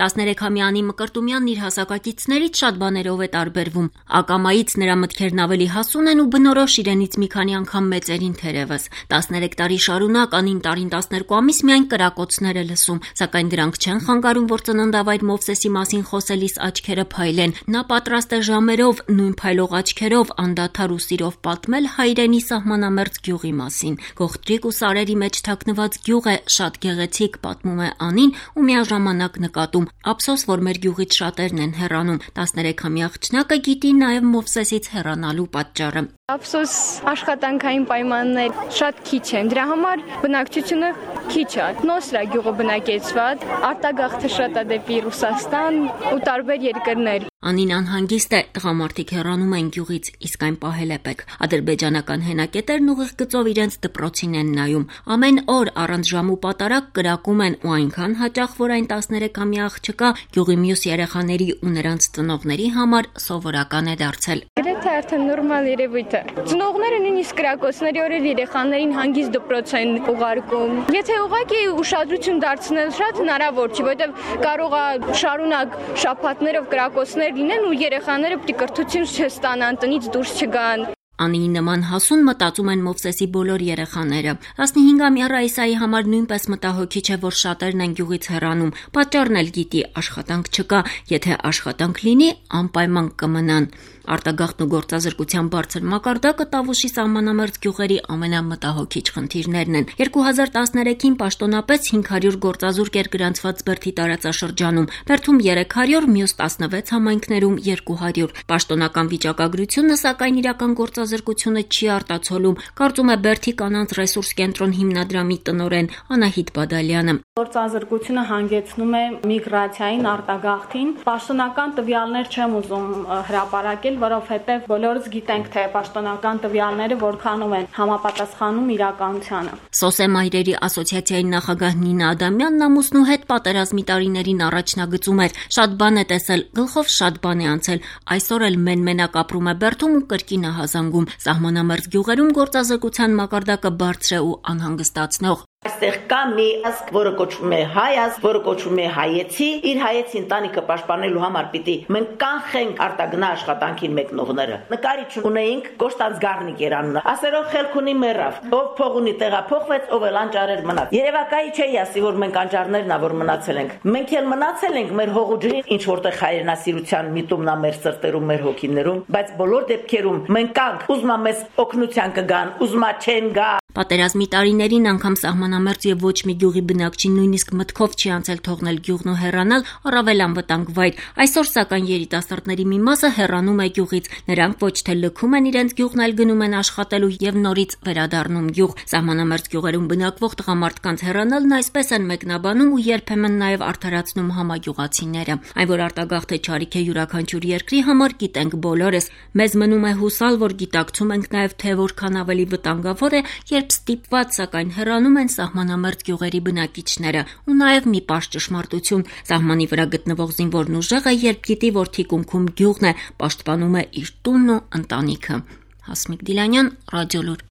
13-ամյա Անի Մկրտումյանն իր հասակակիցներից շատ բաներով է տարբերվում։ Ակամայից նրա մտքերն ավելի հասուն են ու բնորոշ իրենից մի քանի անգամ մեծերին թերևս։ 13 տարի շարունակ Անին տարին 12 ամիս միայն կրակոցներ է լսում, սակայն դրանք չեն խանգարում, որ ծննդավայր Մովսեսի մասին խոսելիս աչքերը փայլեն։ Նա պատրաստ է ժամերով, նույն փայլող աչքերով անդադար ու սիրով պատմել հայրենի սահմանամերձ գյուղի մասին։ Գողտրիկ ու սարերի մեջ թաքնված գյուղ է, շատ գեղեցիկ, պատմում է Անին ու միաժամանակ նկատում. ափսոս, որ մեր գյուղից շատերն են հեռանում։ 13-ամյա աղջնակը գիտի նաև Մովսեսից հեռանալու պատճառը։ Ափսոս, աշխատանքային պայմաններ շատ քիչ են, դրա համար բնակչությունը քիչ է։ Նոսր է գյուղը բնակեցված, արտագաղթը շատ է դեպի Ռուսաստան ու տարբեր երկրներ։ Անին անհանգիստ է, տղամարդիկ հեռանում են գյուղից, իսկ այն պահել է պետք։ Ադրբեջանական հենակետերն ուղիղ գծով իրենց դպրոցին են նայում։ Ամեն օր առանց ժամ ու պատարագ կրակում են ու այնքան հաճախ, որ այն 13-ամյա աղջկա գյուղի մյուս երեխաների ու նրանց ծնողների համար սովորական է դարձել։ Գրեթե արդեն նորմալ երևույթ է։ Ծնողները նույնիսկ կրակոցների օրեր երեխաներին հանգիստ դպրոց են ուղարկում։ Եթե ուղղակի ուշադրություն դարձնել շատ հնարավոր չի, որովհետև կարող է շարունակ շաբաթներով կրակոցներ լինեն ու երեխաները պիտի կրթություն չստանան, տնից դուրս չգան։ Անիի նման հասուն մտածում են Մովսեսի բոլոր երեխաները։ 15-ամյա Ռայսայի համար նույնպես մտահոգիչ է, որ շատերն են գյուղից հեռանում։ Պատճառն էլ գիտի, աշխատանք չկա, եթե աշխատանք լինի, անպայման կմնան։ Արտագաղթն ու գործազրկության բարձր մակարդակը Տավուշի սահմանամերձ գյուղերի ամենամտահոգիչ խնդիրներն են։ 2013-ին պաշտոնապես 500 գործազուրկ էր գրանցված Բերդի տարածաշրջանում, Բերդում 300, մյուս 16 համայնքներում 200։ Պաշտոնական վիճակագրությունը, սակայն իրական գործազրկությունը չի արտացոլում, կարծում է Բերդի կանանց ռեսուրս կենտրոն հիմնադրամի տնօրեն Անահիտ Բադալյանը։ Գործազրկությունը հանգեցնում է միգրացիային, արտագաղթին։ Պաշտոնական տվյալներ չեմ ուզում հրապարակել, որովհետև բոլորս գիտենք, թե պաշտոնական տվյալները որքանով են համապատասխանում իրականությանը։ Սոսե մայրերի ասոցիացիայի նախագահ Նինա Ադամյանն ամուսնու հետ պատերազմի տարիներին առաջնագծում էր։ Շատ բան է տեսել, գլխով շատ բան է անցել։ Այսօր էլ մեն-մենակ ապրում է Բերդում ու կրկին է հազանգում։ Սահմանամերձ գյուղերում գործազրկության մակարդակը բարձր է ու անհանգստացնող։ Այստեղ կա մի ազգ, որը կոչվում է հայ ազգ, որը կոչվում է հայեցի, իր հայեցի ընտանիքը պաշտպանելու համար պիտի մենք կանխենք արտագնա աշխատանքին մեկնողները։ Նկարիչ ունեինք Կոստանց Գառնիկ էր անունը, ասերով խելք ունի մեռավ, ով փող ունի տեղափոխվեց, ով էլ անճարեր մնաց։ Երևակայի չի ասի, որ մենք անճարներն ա, որ մնացել ենք։ Մենք էլ մնացել ենք մեր հողուջրին, ինչ որտեղ հայրենասիրության միտումն ա մեր սրտերում, մեր հոգիներում, բայց բոլոր դեպքերում մենք կանք, ուզմա մեզ օգնության կգան, ուզմա չեն գա։ Պատերազմի տարիներին անգամ սահմանամերձ եւ ոչ մի գյուղի բնակչին նույնիսկ մտքով չի անցել թողնել գյուղն ու հեռանալ, առավել անվտանգ վայր։ Այսօր սակայն երիտասարդների մի մասը հեռանում է գյուղից։ Նրանք ոչ թե լքում են իրենց գյուղն, այլ գնում են աշխատելու եւ նորից վերադառնում գյուղ։ Սահմանամերձ գյուղերում բնակվող տղամարդկանց հեռանալն այսպես են մեկնաբանում ու երբեմն նաեւ արդարացնում համագյուղացիները։ Այն, որ արտագաղթը չարիք է յուրաքանչյուր երկրի համար, գիտենք բոլորս։ Մեզ մնում է հուսալ, որ գիտակցում ենք նաեւ, թե որքան ավելի վտանգավոր է, երբ ստիպված, սակայն հեռանում են սահմանամերձ գյուղերի բնակիչները։ Ու նաև մի պարզ ճշմարտություն. սահմանի վրա գտնվող զինվորն ուժեղը, երբ գիտի, որ թիկունքում գյուղն է, պաշտպանում է իր տունն ու ընտանիքը։ Հասմիկ Դիլանյան, Ռադիոլուր։